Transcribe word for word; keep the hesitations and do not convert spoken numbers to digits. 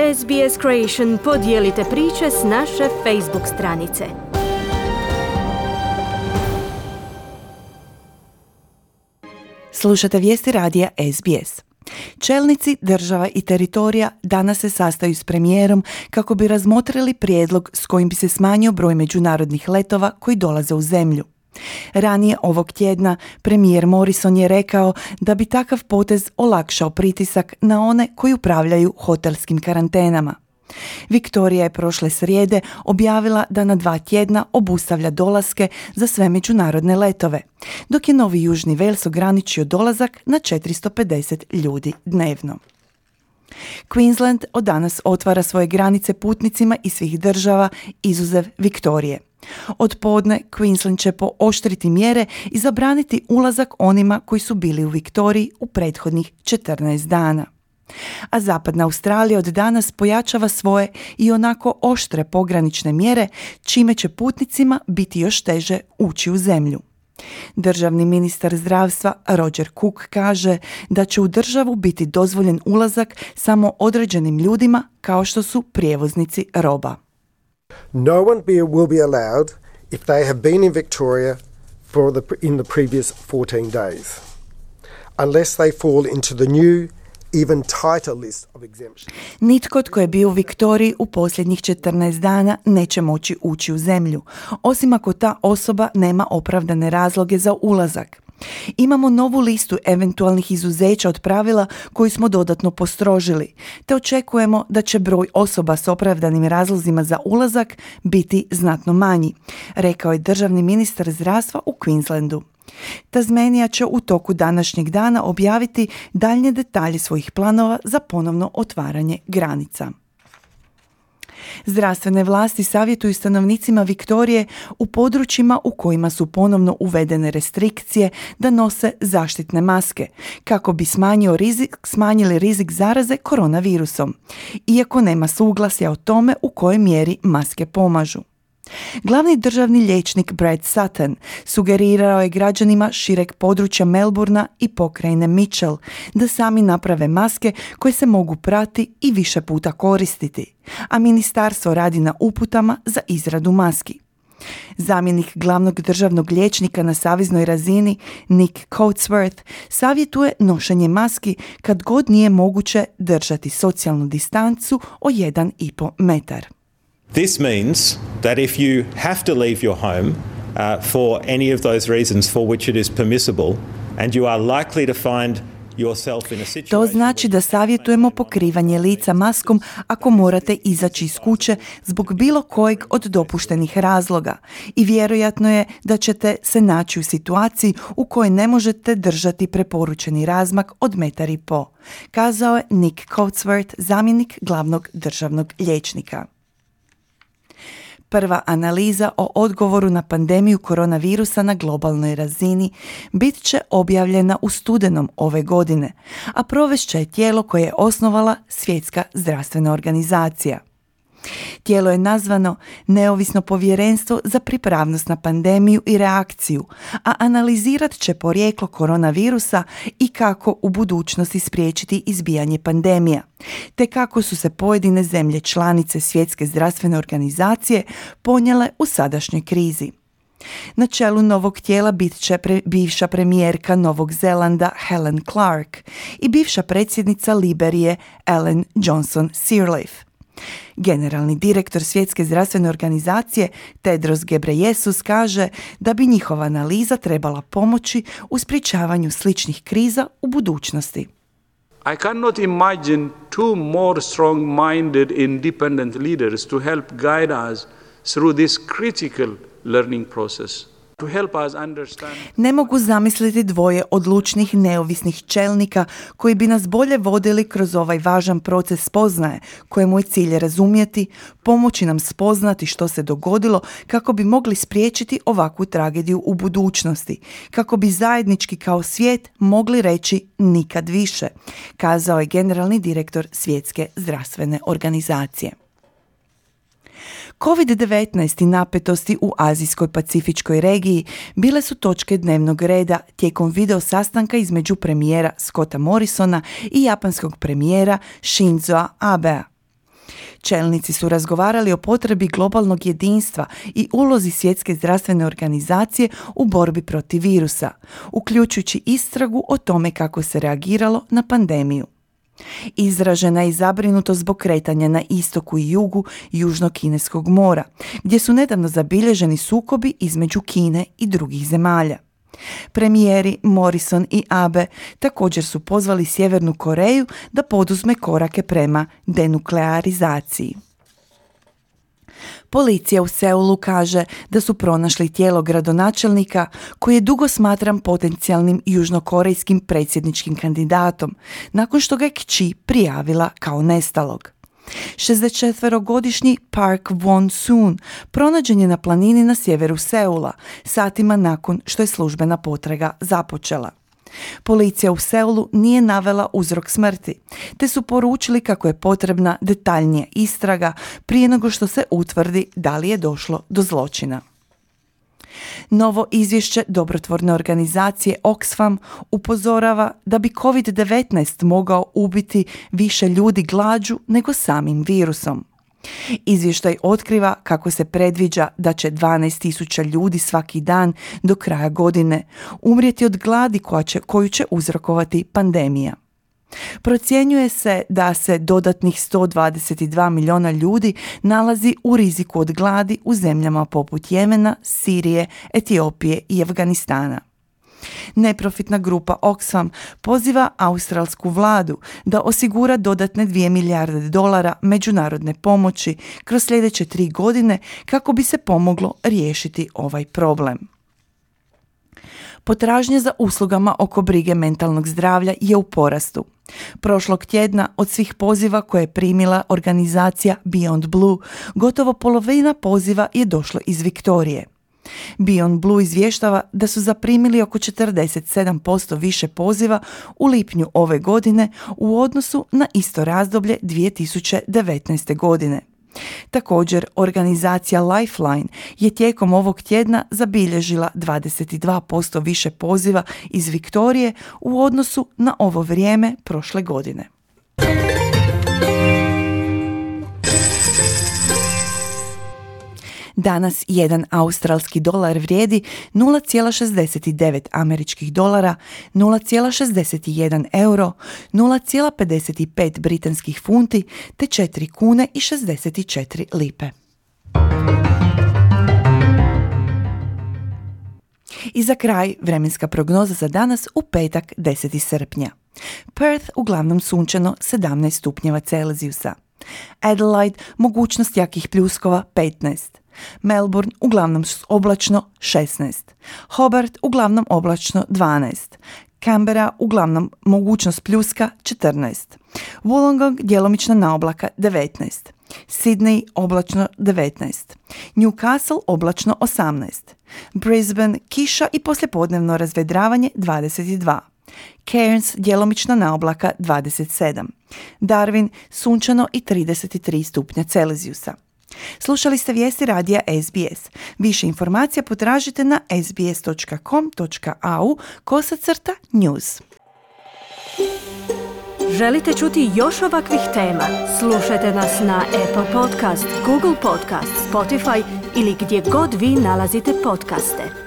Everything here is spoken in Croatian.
S B S Creation podijelite priče s naše Facebook stranice. Slušate vijesti radija S B S. Čelnici država i teritorija danas se sastaju s premijerom kako bi razmotrili prijedlog s kojim bi se smanjio broj međunarodnih letova koji dolaze u zemlju. Ranije ovog tjedna premijer Morrison je rekao da bi takav potez olakšao pritisak na one koji upravljaju hotelskim karantenama. Viktorija je prošle srijede objavila da na dva tjedna obustavlja dolaske za sve međunarodne letove, dok je Novi Južni Wales ograničio dolazak na četiristo pedeset ljudi dnevno. Queensland od danas otvara svoje granice putnicima iz svih država, izuzev Viktorije. Od podne Queensland će pooštriti mjere i zabraniti ulazak onima koji su bili u Viktoriji u prethodnih četrnaest dana. A zapadna Australija od danas pojačava svoje i onako oštre pogranične mjere, čime će putnicima biti još teže ući u zemlju. Državni ministar zdravstva Roger Cook kaže da će u državu biti dozvoljen ulazak samo određenim ljudima kao što su prijevoznici roba. No one be, will be allowed if they have been in Victoria for the, in the previous fourteen days, unless they fall into the new even tighter list of exemptions. Nitko tko je bio u Viktoriji u posljednjih četrnaest dana neće moći ući u zemlju, osim ako ta osoba nema opravdane razloge za ulazak. Imamo novu listu eventualnih izuzeća od pravila koju smo dodatno postrožili, te očekujemo da će broj osoba s opravdanim razlozima za ulazak biti znatno manji, rekao je državni ministar zdravstva u Queenslandu. Tasmanija će u toku današnjeg dana objaviti daljnje detalje svojih planova za ponovno otvaranje granica. Zdravstvene vlasti savjetuju stanovnicima Viktorije u područjima u kojima su ponovno uvedene restrikcije da nose zaštitne maske, kako bi smanjio rizik, smanjili rizik zaraze koronavirusom, iako nema suglasja o tome u kojoj mjeri maske pomažu. Glavni državni liječnik Brad Sutton sugerirao je građanima šireg područja Melbourna i pokrajine Mitchell da sami naprave maske koje se mogu prati i više puta koristiti, a ministarstvo radi na uputama za izradu maski. Zamjenik glavnog državnog liječnika na saveznoj razini Nick Coatsworth savjetuje nošenje maski kad god nije moguće držati socijalnu distancu o jedan i pol metar. This means that if you have to leave your home uh, for any of those reasons for which it is permissible and you are likely to find yourself in a situation. To znači da savjetujemo pokrivanje lica maskom ako morate izaći iz kuće zbog bilo kojeg od dopuštenih razloga i vjerojatno je da ćete se naći u situaciji u kojoj ne možete držati preporučeni razmak od metar i po, kazao je Nick Coatsworth, zamjenik glavnog državnog liječnika. Prva analiza o odgovoru na pandemiju koronavirusa na globalnoj razini bit će objavljena u studenom ove godine, a provest će je tijelo koje je osnovala Svjetska zdravstvena organizacija. Tijelo je nazvano Neovisno povjerenstvo za pripravnost na pandemiju i reakciju, a analizirat će porijeklo koronavirusa i kako u budućnosti spriječiti izbijanje pandemija, te kako su se pojedine zemlje članice Svjetske zdravstvene organizacije ponijele u sadašnjoj krizi. Na čelu novog tijela bit će pre, bivša premijerka Novog Zelanda Helen Clark i bivša predsjednica Liberije Ellen Johnson Sirleaf. Generalni direktor Svjetske zdravstvene organizacije Tedros Ghebreyesus kaže da bi njihova analiza trebala pomoći u sprječavanju sličnih kriza u budućnosti. I cannot imagine two more strong-minded independent leaders to help guide us through this critical learning process. To help us understand... Ne mogu zamisliti dvoje odlučnih neovisnih čelnika koji bi nas bolje vodili kroz ovaj važan proces spoznaje, kojemu je cilj razumjeti, pomoći nam spoznati što se dogodilo kako bi mogli spriječiti ovakvu tragediju u budućnosti, kako bi zajednički kao svijet mogli reći nikad više, kazao je generalni direktor Svjetske zdravstvene organizacije. kovid devetnaest i napetosti u Azijskoj pacifičkoj regiji bile su točke dnevnog reda tijekom video sastanka između premijera Scotta Morrisona i japanskog premijera Shinzoa Abea. Čelnici su razgovarali o potrebi globalnog jedinstva i ulozi Svjetske zdravstvene organizacije u borbi protiv virusa, uključujući istragu o tome kako se reagiralo na pandemiju. Izražena je i zabrinutost zbog kretanja na istoku i jugu Južnog kineskog mora, gdje su nedavno zabilježeni sukobi između Kine i drugih zemalja. Premijeri Morrison i Abe također su pozvali Sjevernu Koreju da poduzme korake prema denuklearizaciji. Policija u Seulu kaže da su pronašli tijelo gradonačelnika koji je dugo smatran potencijalnim južnokorejskim predsjedničkim kandidatom, nakon što ga je kći prijavila kao nestalog. šezdesetčetverogodišnji Park Won-soon pronađen je na planini na sjeveru Seula, satima nakon što je službena potraga započela. Policija u Seulu nije navela uzrok smrti, te su poručili kako je potrebna detaljnija istraga prije nego što se utvrdi da li je došlo do zločina. Novo izvješće dobrotvorne organizacije Oxfam upozorava da bi kovid devetnaest mogao ubiti više ljudi glađu nego samim virusom. Izvještaj otkriva kako se predviđa da će dvanaest tisuća ljudi svaki dan do kraja godine umrijeti od gladi koja će, koju će uzrokovati pandemija. Procjenjuje se da se dodatnih sto dvadeset dva milijuna ljudi nalazi u riziku od gladi u zemljama poput Jemena, Sirije, Etiopije i Afganistana. Neprofitna grupa Oxfam poziva australsku vladu da osigura dodatne dvije milijarde dolara međunarodne pomoći kroz sljedeće tri godine kako bi se pomoglo riješiti ovaj problem. Potražnja za uslugama oko brige mentalnog zdravlja je u porastu. Prošlog tjedna od svih poziva koje je primila organizacija Beyond Blue, gotovo polovina poziva je došlo iz Viktorije. Beyond Blue izvještava da su zaprimili oko četrdeset sedam posto više poziva u lipnju ove godine u odnosu na isto razdoblje dvije tisuće devetnaeste. godine. Također, organizacija Lifeline je tijekom ovog tjedna zabilježila dvadeset dva posto više poziva iz Viktorije u odnosu na ovo vrijeme prošle godine. Danas jedan australski dolar vrijedi nula zarez šezdeset devet američkih dolara, nula zarez šezdeset jedan euro, nula zarez pedeset pet britanskih funti te četiri kune i šezdeset četiri lipe. I za kraj vremenska prognoza za danas u petak deseti srpnja. Perth uglavnom sunčano sedamnaest stupnjeva Celzijusa. Adelaide mogućnost jakih pljuskova petnaest. Melbourne uglavnom oblačno šesnaest. Hobart uglavnom oblačno dvanaest. Canberra uglavnom mogućnost pljuska četrnaest. Wollongong djelomična naoblaka devetnaest. Sydney oblačno devetnaest. Newcastle oblačno osamnaest. Brisbane kiša i poslijepodnevno razvedravanje dvadeset dva. Cairns djelomična naoblaka dvadeset sedam. Darwin sunčano i trideset tri stupnja Celzijusa. Slušali ste vijesti radija S B S. Više informacija potražite na sbs dot com dot a u kosacrta news. Želite čuti još ovakvih tema? Slušajte nas na Apple Podcast, Google Podcast, Spotify ili gdje god vi nalazite podcaste.